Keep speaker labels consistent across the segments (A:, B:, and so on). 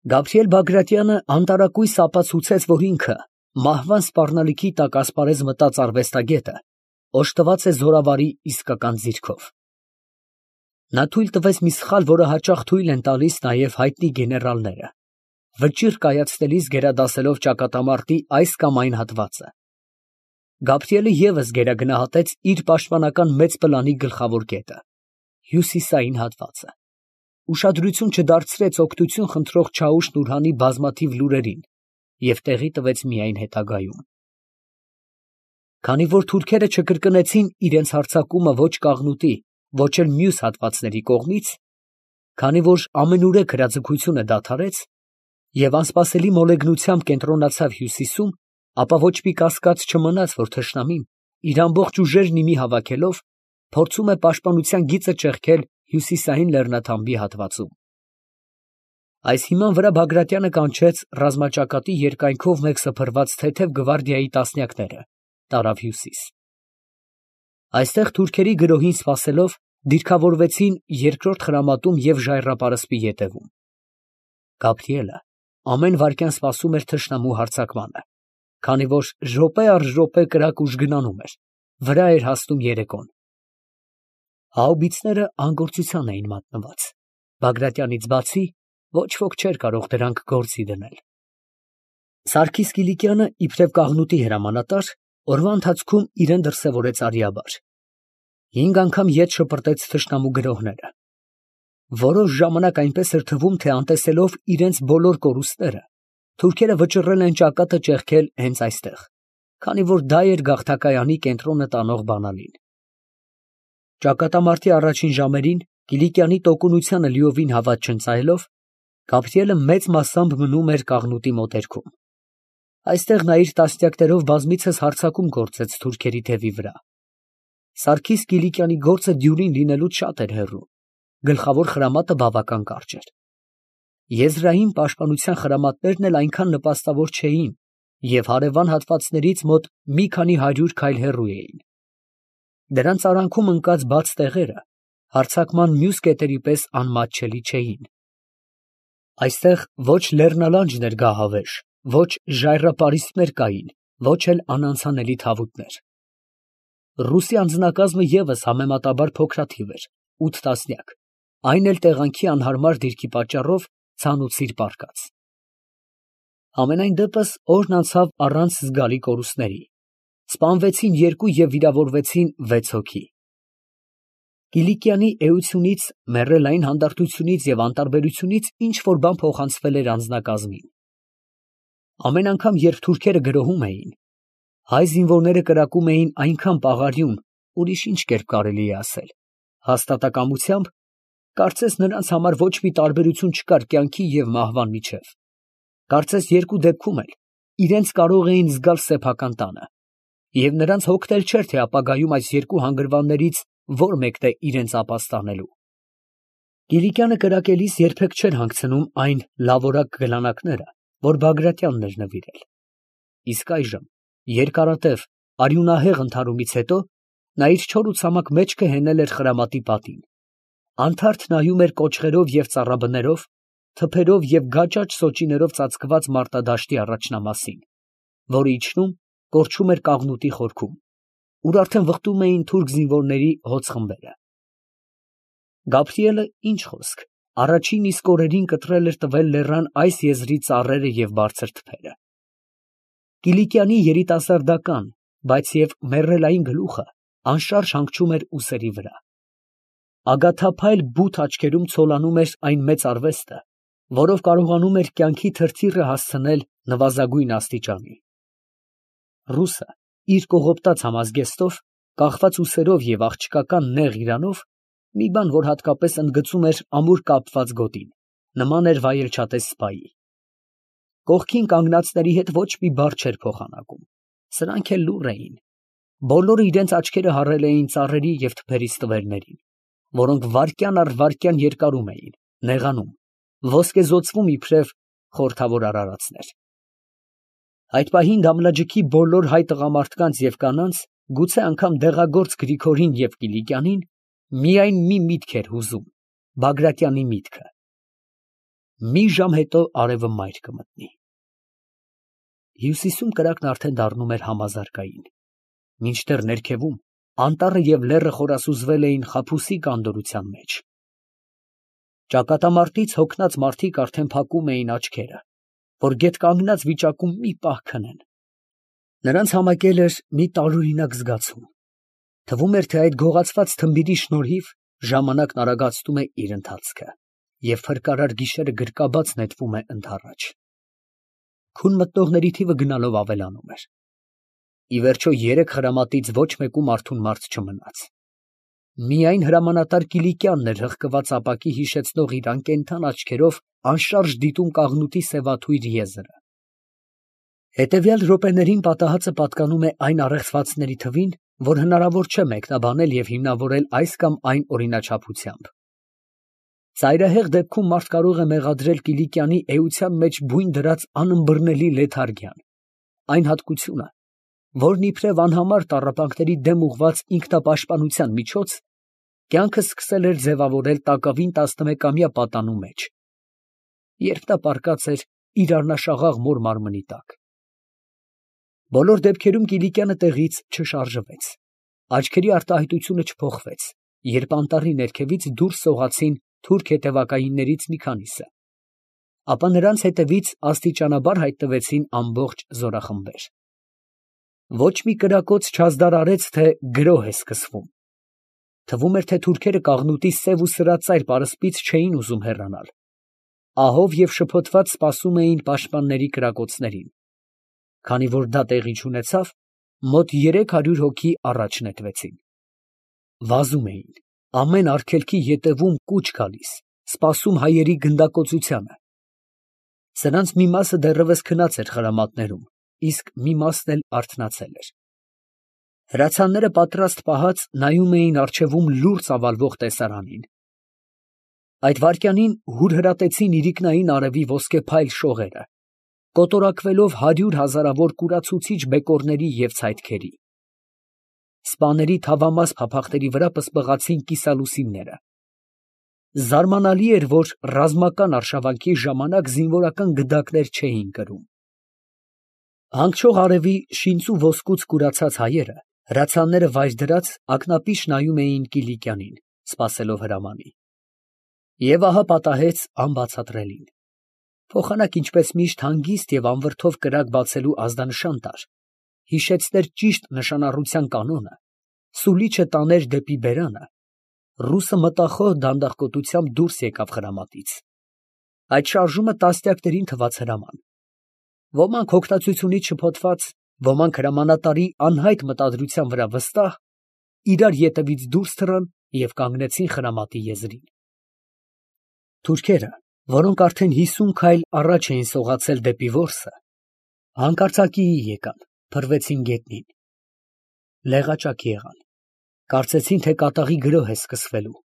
A: Գաբրիել Բագրատյանը անտարակույս ապացուցեց, որ ինքը, մահվան սպառնալիքի տակ ասպարեզ մտած արվեստագետը, օժտված է զորավարի իսկական ձիրքով։ Նա թույլ տվեց մի սխալ, որը հաճախ թույլ են տալիս նաև հայտնի գեներալները, վճիռ կայացնելիս գերադասելով ճակատամարտի այս կամ այն հատվածը։ Գաբրիելը ևս գերագնահատեց իր պաշտպանական մեծ պլանի գլխավոր կետը՝ հյուսիսային հատվածը, ուշադրություն չդարձրեց օգնություն խնդրող Չաուշ֊Նուրհանի բազմաթիվ լուրերին և տեղի տվեց միայն հետագայում։ Քանի որ թուրքերը չկրկնեցին իրենց հարձակումը ոչ Կաղնուտի, ոչ էլ մյուս հատվածների կողմից, քանի որ ամենուրեք հրաձգությունը դադարեց և անսպասելի մոլեգնությամբ կենտրոնացավ հյուսիսում, ապա ոչ մի կասկած չմնաց, որ թշնամին, իր ամբողջ ուժերն ի մի հավաքելով, փորձում է պաշտպանության գիծը ճեղքել հյուսիսային լեռնաթամբի հատվածում։ Այս հիման վրա Բագրատյանը կանչեց ռազմաճակատի երկայնքով մեկ սփռված թեթև գվարդիայի տասնյակները, տարավ հյուսիս։ Այստեղ թուրքերի գրոհին սպասելով, դիրքավորվեցին երկրորդ խրամատում և ժայռապարսպի ետևում։ Գաբրիելը ամեն վայրկյան սպասում էր թշնամու հարձակմանը, քանի որ րոպե առ րոպե կրակ ուժ գնանում էր, վրա էր հասնում երեկոն։ Հաուբիցները անգործության էին մատնված, Բագրատյանից բացի ոչ ոք չէր կարող դրանք գործի դնել։ Սարգիս Կիլիկյանը, իբրև Կաղնուտի հրամանատար, օրվա ընթացքում իրեն դրսևորեց արիաբար։ 5 անգամ ետ շպրտեց թշնամու գրոհները։ Որոշ ժամանակ այնպես էր թվում, թե անտեսելով իրենց բոլոր կորուստները, թուրքերը վճռել են ճակատը ճեղքել հենց այստեղ, քանի որ դա էր գաղթակայանի կենտրոնը տանող բանալին։ Ճակատամարտի առաջին ժամերին, Կիլիկյանի տոկունությանը լիովին հավատ չընծայելով, Գաբրիելը մեծ մասամբ մնում էր Կաղնուտի մոտերքում։ Այստեղ նա իր տասնյակներով բազմիցս հարձակում գործեց թուրքերի թևի վրա։ Սարգիս Կիլիկյանի գործը դյուրին լինելուց շատ էր հեռու, գլխավոր խրամատը բավական կարճ էր։ Եզրային պաշտպանության խրամատներն էլ այնքան նպաստավոր չէին և հարևան հատվածներից մոտ մի քանի 100 քայլ հեռու էին։ Դրանց արանքում ընկած բաց տեղերը հարձակման մյուս կետերի պես անմատչելի չէին։ Այստեղ ոչ լեռնալանջն էր գահավեժ, ոչ ժայռապարիսպներ կային, ոչ էլ անանցանելի թավուտներ։ Ռուսի անձնակազմը ևս համեմատաբար փոքրաթիվ էր, 8 տասնյակ, այն էլ տեղանքի անհարմար դիրքի պատճառով ցանուցիր պառկած։ Համենայն դեպս օրն անցավ առանց զգալի կորուստների, սպանվեցին 2 և վիրավորվեցին 6 հոգի։ Կիլիկյանի էությունից, մեռելային հանդարտությունից և անտարբերությունից ինչ֊որ բան փոխանցվել էր անձնակազմին։ Ամեն անգամ, երբ թուրքերը գրոհում էին, հայ զինվորները կրակում էին այնքան պաղարյուն, ուրիշ ինչ կերպ կարելի է ասել, հաստատակամությամբ, կարծես նրանց համար ոչ մի տարբերություն չկար կյանքի և մահվան միջև, կարծես երկու դեպքում էլ իրենց կարող էին զգալ սեփական տանը, և նրանց հոգնել չէր, թե ապագայում այս երկու հանգրվաններից որ մեկն է իրենց ապաստանելու։ Կիլիկյանը կրակելիս երբեք չէր հանգցնում այն լավորակ գլանակները, որ Բագրատյանն էր նվիրել։ Իսկ այժմ, երկարատև, արյունահեղ ընդհարումից հետո, նա իր չոր ու ցամաք մեջքը հենել էր խրամատի պատին, անթարթ նայում էր կոճղերով և ծառաբներով, թփերով և գաճաճ սոճիներով ծածկված մարտադաշտի առաջնամասին, որը իջնում, կորչում էր Կաղնուտի խորքում, ուր արդեն վխտում էին թուրք զինվորների հոծ խմբերը։ Գաբրիելը, ինչ խոսք, առաջին իսկ օրերին կտրել էր տվել լեռան այս եզրի ծառերը և բարձր թփերը։ Կիլիկյանի երիտասարդական, բայց և մեռելային գլուխը անշարժ հանգչում էր ուսերի վրա։ Ագաթափայլ բութ աչքերում ցոլանում էր այն մեծ արվեստը, որով կարողանում էր կյանքի թրթիռը հասցնել նվազագույն աստիճանի։ Ռուսը իր կողոպտած համազգեստով, կախված ուսերով և աղջկական նեղ իրանով, մի բան, որ հատկապես ընդգծում էր ամուր կապված գոտին, նման էր վայելչատես սպայի։ Կողքին կանգնածների հետ ոչ մի բառ չէր փոխանակում, սրանք էլ լուռ էին։ Բոլորը իրենց աչքերը հառել էին ծառերի և թփերի ստվերներին, որոնք վայրկյան առ վայրկյան երկարում էին, նեղանում, ոսկեզօծվում իբրև խորհրդավոր արարածներ։ Այդ պահին Դամլաջիքի բոլոր հայ տղամարդկանց և կանանց, գուցե անգամ դեղագործ Գրիգորին և Կիլիկյանին, միայն մի միտք էր հուզում՝ Բագրատյանի միտքը։ Մի ժամ հետո արևը մայր կմտնի։ Հյուսիսում կրակն արդեն դառնում էր համազարգային, մինչդեռ ներքևում անտառը և լեռը խորասուզվել էին խաբուսիկ անդորրության մեջ։ Ճակատամարտից հոգնած մարդիկ արդեն փակում էին աչքերը, որ գետկանգնած վիճակում մի պահ քնեն։ Նրանց համակել էր մի տարօրինակ զգացում, թվում էր, թե այդ գողացված թմբիրի շնորհիվ ժամանակն արագացնում է իր ընթացքը, և փրկարար գիշերը գրկաբաց նետվում է ընդառաջ։ Քուն մտնողների թիվը գնալով ավելանում էր։ Ի վերջո երեք խրամատից ոչ մեկում արթուն մարդ չմնաց։ Միայն հրամանատար Կիլիկյանն էր հղկված ապակի հիշեցնող իր անկենդան աչքերով անշարժ դիտում կաղնուտի սևաթույր եզրը։ Հետևյալ րոպեներին պատահածը պատկանում է այն առեղծվածների թվին, որ հնարավոր չէ մեկնաբանել և հիմնավորել այս կամ այն օրինաչափությամբ։ Ծայրահեղ դեպքում մարդ կարող է մեղադրել Կիլիկյանի էության մեջ բույն դրած անըմբռնելի լեթարգիան, այն հատկությունը, որն իբրև անհամար տառապանքների դեմ ուղղված ինքնապաշտպանության միջոց, կյանքը սկսել էր ձևավորել տակավին 11-ամյա պատանու մեջ, երբ նա պառկած էր իր առնաշաղաղ մոր մարմնի տակ։ Բոլոր դեպքերում Կիլիկյանը տեղից չշարժվեց, աչքերի արտահայտությունը չփոխվեց, երբ անտառի ներքևից դուրս սողացին թուրք հետևակայիններից մի քանիսը, ապա նրանց հետևից աստիճանաբար հայտնվեցին ամբողջ զորախմբեր։ Ոչ մի կրակոց չազդարարեց, թե գրոհ է սկսվում։ Թվում էր, թե թուրքերը կաղնուտի սև ու սրածայր պարսպից չէին ուզում հեռանալ, ահով և շփոթված սպասում էին պաշտպանների կրակոցներին, քանի որ դա տեղի չունեցավ, մոտ 300 հոգի առաջ նետվեցին։ Վազում էին, ամեն արգելքի ետևում կուչ գալիս, սպասում հայերի գնդակոծությանը։ Սրանց մի մասը դեռևս քնած էր խրամատներում, իսկ մի մասն էլ արթնացել էր։ Հրացանները պատրաստ պահած նայում էին առջևում լուռ ծավալվող տեսարանին։ Այդ վայրկյանին հուրհրատեցին իրիկնային արևի ոսկեփայլ շողերը, կոտորակվելով 100 հազարավոր կուրացուցիչ բեկորների և ցայտքերի։ Սպաների թավամաս փափախտերի վրա պսպղացին կիսալուսինները։ Զարմանալի էր, որ ռազմական արշավանքի ժամանակ զինվորական գդակներ չէին կրում։ Հանգչող արևի շինծու ոսկուց կուրացած հայերը, հրացանները վայր դրած, ակնապիշ նայում էին Կիլիկյանին, սպասելով հրամանի։ Եվ ահա պատահեց անբացատրելին։ Փոխանակ ինչպես միշտ հանգիստ և անվրդով կրակ բացելու ազդանշան տար, հիշեցներ ճիշտ նշանառության կանոնը, սուլիչը տաներ դեպի բերանը, ռուսը մտախոհ դանդաղկոտությամբ դուրս եկավ խրամատից։ Այդ շարժումը տասնյակներին թվաց հրաման։ Ոմանք հոգնածությունից շփոթված, ոմանք հրամանատարի անհայտ մտադրության վրա վստահ, իրար ետևից դուրս թռան և կանգնեցին խրամատի եզրին։ Թուրքերը, որոնք արդեն 50 քայլ առաջ էին սողացել դեպի որսը, հանկարծակիի եկան, փռվեցին գետնին։ Լեղաճակ եղան, կարծեցին, թե կատաղի գրոհ է սկսվելու,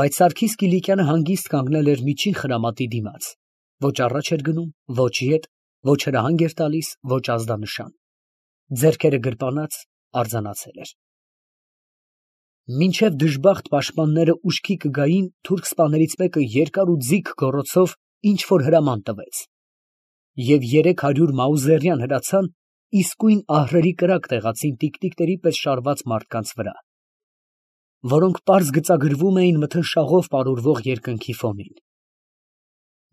A: բայց Սարգիս Կիլիկյանը հանգիստ կանգնել էր միջին խրամատի դիմաց, ոչ առաջ էր գնում, ոչ ետ, ոչ հրահանգ էր տալիս, ոչ ազդանշան, ձեռքերը գրպանած արձանացել էր։ Մինչև դժբախտ պաշտպանները ուշքի կգային, թուրք սպաներից մեկը երկար ու ձիգ գոռոցով ինչ֊որ հրաման տվեց, և 300 մաուզերյան հրացան իսկույն ահռելի կրակ տեղացին տիկտիկների պես շարված մարդկանց վրա, որոնք պարզ գծագրվում էին մթնշաղով պարուրվող երկնքի ֆոնին։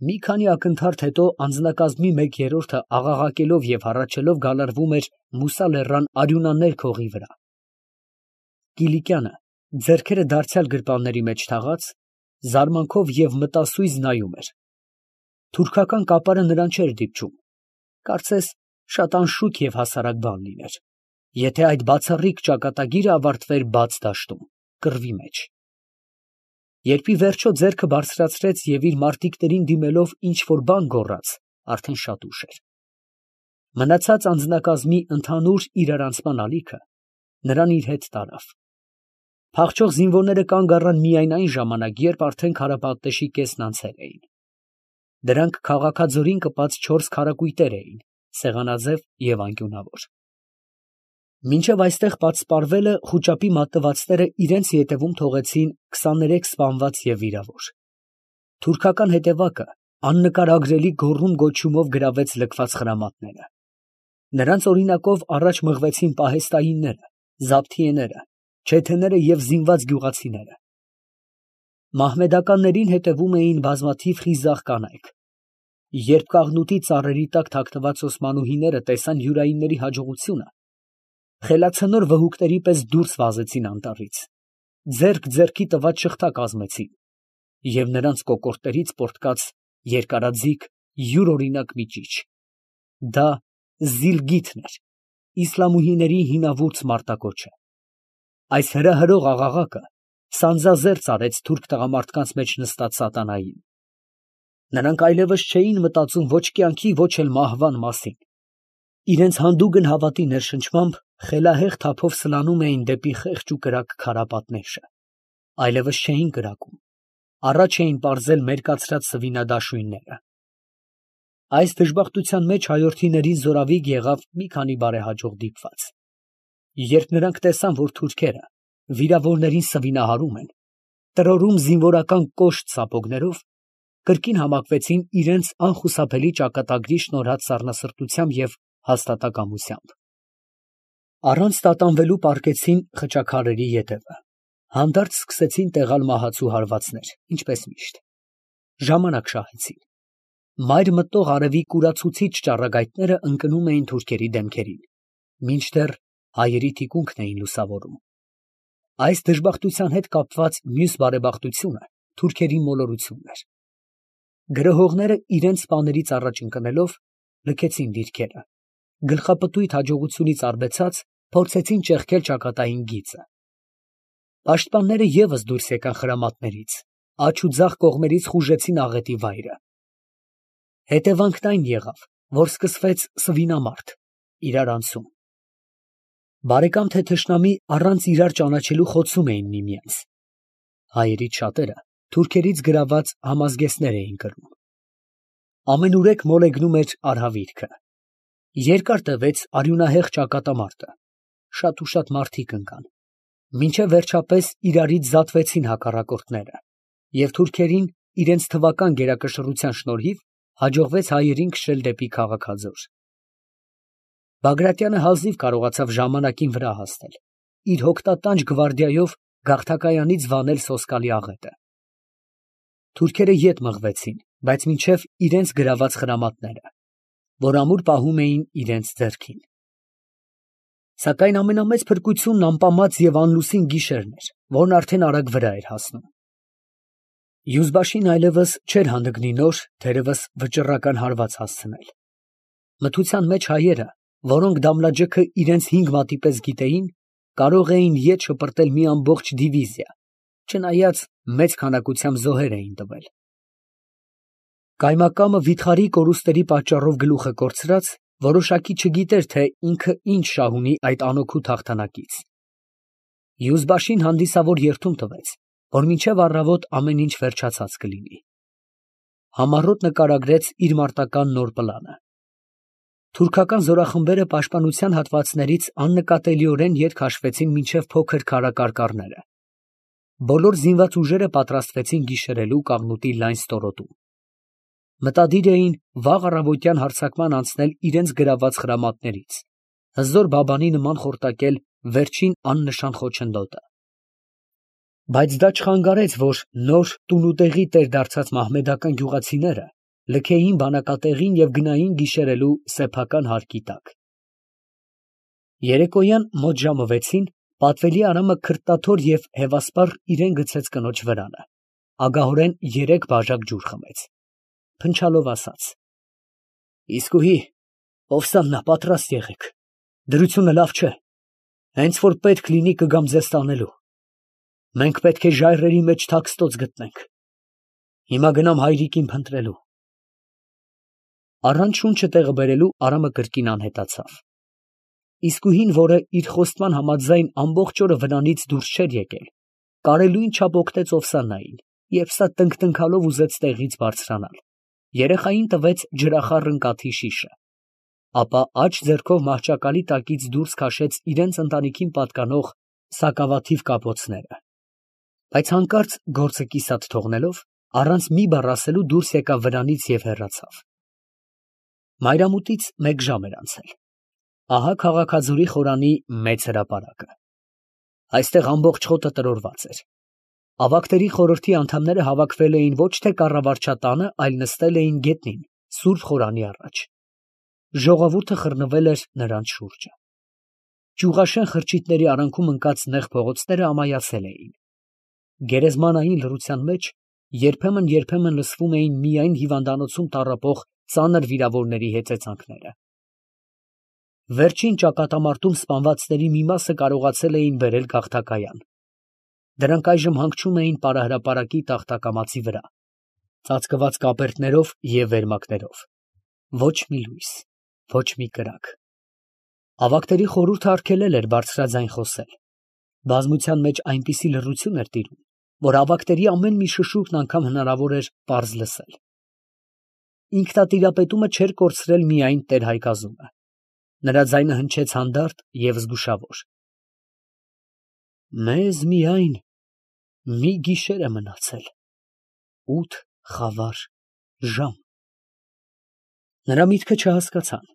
A: Մի քանի ակնթարթ հետո անձնակազմի 1/3-ը աղաղակելով և հառաչելով գալարվում էր Մուսա լեռան արյունաներ քողի վրա։ Կիլիկյանը, ձեռքերը դարձյալ գրպանների մեջ թաղած, զարմանքով և մտասույզ նայում էր։ Թուրքական կապարը նրան չէր դիպչում, կարծես շատ անշուք և հասարակ բան լիներ, եթե այդ բացառիկ ճակատագիրը ավարտվեր բաց դաշտում, կռվի մեջ։ Երբ ի վերջո ձեռքը բարձրացրեց և իր մարտիկներին դիմելով ինչ֊որ բան գոռաց, արդեն շատ ուշ էր։ Մնացած անձնակազմի ընդհանուր իրարանցման ալիքը նրան իր հետ տարավ։ Փախչող զինվորները կանգ առան միայն այն ժամանակ, երբ արդեն քարապատեշի կեսն անցել էին։ Դրանք քաղաքաձորին կպած 4 քարակույտեր էին, սեղանաձև և անկյունավոր։ Մինչև այստեղ պատսպարվելը խուճապի մատնվածները իրենց ետևում թողեցին 23 սպանված և վիրավոր։ Թուրքական հետևակը, աննկարագրելի գոռում գոչյունով գրավեց լքված խրամատները։ Նրանց օրինակով առաջ մղվեցին պահեստայինները, զաբթիեները, չեթեները և զինված գյուղացիները։ Մահմեդականներին հետևում էին բազմաթիվ խիզախ կանայք։ Երբ կաղնուտի ծառերի տակ թաքնված օսմանուհիները տեսան յուրայինների հաջողությունը, խելացնոր վհուկների պես դուրս վազեցին անտառից, ձեռք ձեռքի տված շղթա կազմեցին, և նրանց կոկորդներից պոռթկաց երկարաձիգ յուրօրինակ մի ճիչ։ Դա Զիլգիթն էր, իսլամուհիների հինավուրց մարտակոչը։ Այս հրահրող աղաղակը սանձազերծ արեց թուրք տղամարդկանց մեջ նստած սատանային։ Նրանք այլևս չէին մտածում ոչ կյանքի, ոչ էլ մահվան մասին։ Իրենց հանդուգն հավատի ներշնչմամբ խելահեղ թափով սլանում էին դեպի խեղճ ու կրակ քարապատնեշը։ Այլևս չէին կրակում, առաջ էին պարզել մերկացրած սվինադաշույնները։ Այս դժբախտության մեջ հայորդիներին զորավիգ եղավ մի քանի բարեհաջող դիպված։ Երբ նրանք տեսան, որ թուրքերը վիրավորներին սվինահարում են, տրորում զինվորական կոշտ սապոգներով, կրկին համակվեցին իրենց անխուսափելի ճակատագրի շնորհած սառնասրտությամբ և հաստատակամությամբ։ Առանց տատանվելու պառկեցին խճաքարերի ետևը, հանդարտ սկսեցին տեղալ մահացու հարվածներ, ինչպես միշտ։ Ժամանակ շահեցին։ Մայր մտող արևի կուրացուցիչ ճառագայթները ընկնում էին թուրքերի դեմքերին, մինչդեռ հայերի թիկունքն էին լուսավորում։ Այս դժբախտության հետ կապված մյուս բարեբախտությունը թուրքերի մոլորությունն էր։ Գրոհողները իրենց սպաներից առաջ ընկնելով լքեցին դիրքերը, գլխապտույտ հաջողությունից արբեցած փորձեցին ճեղքել ճակատային գիծը։ Պաշտպանները ևս դուրս եկան խրամատներից, աջ ու ձախ կողմերից խուժեցին աղետի վայրը։ Հետևանքն այն եղավ, որ սկսվեց սվինամարտ, իրար անցում։ Բարեկամ թե թշնամի առանց իրար ճանաչելու խոցում էին միմյանց։ Հայերից շատերը թուրքերից գրաված համազգեստներ էին կրում։ Ամենուրեք մոլեգնում էր արհավիրքը։ Երկար տևեց արյունահեղ ճակատամարտը, շատ ու շատ մարդիկ ընկան, մինչև վերջապես իրարից զատվեցին հակառակորդները, և թուրքերին իրենց թվական գերակշռության շնորհիվ հաջողվեց հայերին քշել դեպի քաղաքաձոր։ Բագրատյանը հազիվ կարողացավ ժամանակին վրա հասնել, իր հոգտատանջ գվարդիայով գաղթակայանից վանել սոսկալի աղետը։ Թուրքերը ետ մղվեցին, բայց մինչև իրենց գրաված խրամատները, որ ամուր պահում էին իրենց ձեռքին։ Սակայն ամենամեծ փրկությունն անպամած և անլուսին գիշերն էր, որն արդեն արագ վրա էր հասնում։ Յուզբաշին այլևս չէր հանդգնի նոր, թերևս վճռական հարված հասցնել։ Մթության մեջ հայերը, որոնք Դամլաջեքը իրենց 5 մատի պես գիտեին, կարող էին ետ շպրտել մի ամբողջ դիվիզիա, չնայած մեծ քանակությամբ զոհեր էին տվել։ Կայմակամը վիթխարի կորուստերի պատճառով գլուխը կորցրած, որոշակի չգիտեր, թե ինքը ինչ շահ ունի այդ անօգուտ հաղթանակից։ Յուզբաշին հանդիսավոր երդում տվեց, որ մինչև առավոտ ամեն ինչ վերջացած կլինի։ Համառոտ նկարագրեց իր մարտական նոր պլանը։ Թուրքական զորախմբերը պաշտպանության հատվածներից աննկատելիորեն ետ քաշվեցին մինչև փոքր քարակարկառները։ Բոլոր զինված ուժերը պատրաստվեցին գիշերելու կաղնուտի լայն ստորոտում։ Մտադիր էին վաղ առավոտյան հարձակման անցնել իրենց գրաված խրամատներից, հզոր բաբանի նման խորտակել վերջին աննշան խոչընդոտը։ Բայց դա չխանգարեց, որ նոր տունուտեղի տեր դարձած մահմեդական գյուղացիները լքեին բանակատեղին և գնային գիշերելու սեփական հարկի տակ։ Երեկոյան մոտ ժամը 6-ին պատվելի Արամը քրտաթոր և հևասպառ իրան գցեց կնոջ վրանը, ագահորեն 3 բաժակ ջուր խմեց, փնչալով ասաց. «Իսկույի, ովսաննա, պատրաստ եղեք, դրությունը լավ չէ, հենց որ պետք լինի կգամ ձեզ տանելու, մենք պետք է ժայռերի մեջ թաքստոց գտնենք, հիմա գնամ հայրիկին փնտրելու»։ Առանց շունչը տեղը բերելու Արամը կրկին անհետացավ։ Իսկույին, որը իր խոստման համաձայն ամբողջ օրը վրանից դուրս չէր եկել, կարելույն չափ օգնեց Օվսաննային, երբ սա տնկտնքալով ուզեց տեղից բարձրանալ, երեխային տվեց ջրախառն կաթի շիշը, ապա աջ ձեռքով մահճակալի տակից դուրս քաշեց իրենց ընտանիքին պատկանող սակավաթիվ կապոցները, բայց հանկարծ գործը կիսատ թողնելով, առանց մի բառ ասելու դուրս եկավ վրանից և հեռացավ։ Մայրամուտից 1 ժամ էր անցել։ Ահա Քաղաքաձորի խորանի մեծ հրապարակը։ Այստեղ ամբողջ խոտը տրորված էր։ Ավագների խորհրդի անդամները հավաքվել էին ոչ թե կառավարչատանը, այլ նստել էին գետնին, սուրբ խորանի առաջ։ Ժողովուրդը խռնվել էր նրանց շուրջը։ Ճյուղաշեն խրճիթների արանքում ընկած նեղ փողոցները ամայացել էին։ Գերեզմանային լռության մեջ երբեմն լսվում էին միայն հիվանդանոցում տառապող ծանր վիրավորների հեծեծանքները։ Վերջին ճակատամարտում սպանվածների մի մասը կարողացել էին բերել գաղթակայան։ Դրանք այժմ հանգչում էին պարահրապարակի տախտակամածի վրա, ծածկված կապերտներով և վերմակներով։ Ոչ մի լույս, ոչ մի կրակ։ Ավագների խորհուրդը արգելել էր բարձրաձայն խոսել։ Բազմության մեջ այնպիսի լռություն էր տիրում, որ ավագների ամեն մի շշուկն անգամ հնարավոր էր պարզ լսել։ Ինքնատիրապետումը չէր կորցրել միայն տեր֊հայկազումը։ Նրա ձայնը հնչեց հանդարտ և զգուշավոր։ Մեզ միայն մի գիշեր է մնացել, 8 խավար ժամ։ Նրա միտքը չհասկացան,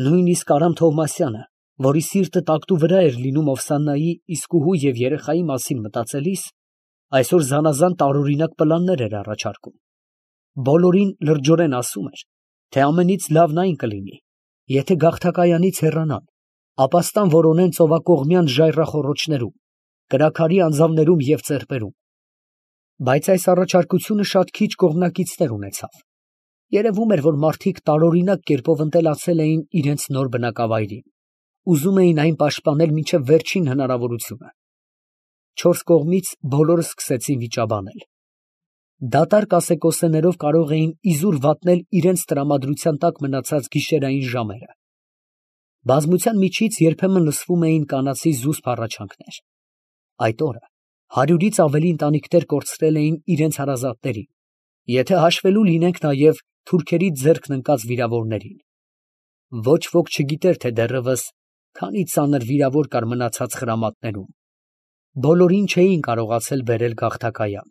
A: նույնիսկ Արամ Թովմասյանը, որի սիրտը տակտու վրա էր լինում Օվսաննայի, իսկուհու և երեխայի մասին մտածելիս, այսօր զանազան տարօրինակ պլաններ էր առաջարկում։ Բոլորին լրջորեն ասում էր, թե ամենից լավն այն կլինի, եթե գաղթակայանից հեռանան, ապաստան որոնեն ծովակողմյան ժայռախոռոչներում, կրաքարի անձավներում և ծեպերում։ Բայց այս առաջարկությունը շատ քիչ կողմնակիցներ ունեցավ։ Երևում էր, որ մարդիկ տարօրինակ կերպով ընտելացել էին իրենց նոր բնակավայրին, ուզում էին այն պաշտպանել մինչև վերջին հնարավորությունը։ 4 կողմից բոլորը սկսեցին վիճաբանել։ Դատարկ ասեկոսեներով կարող էին իզուր վատնել իրենց տրամադրության տակ մնացած գիշերային ժամերը։ Բազմության միջից երբեմն լսվում էին կանացի զուսպ հառաչանքներ։ Այդ օրը 100-ից ավելի ընտանիքներ կորցրել էին իրենց հարազատներին, եթե հաշվելու լինենք նաև թուրքերի ձեռքն ընկած վիրավորներին։ Ոչ ոք չգիտեր, թե դեռևս քանի ծանր վիրավոր կար մնացած խրամատներում։ Բոլորին չէին կարողացել բերել գաղթակայան։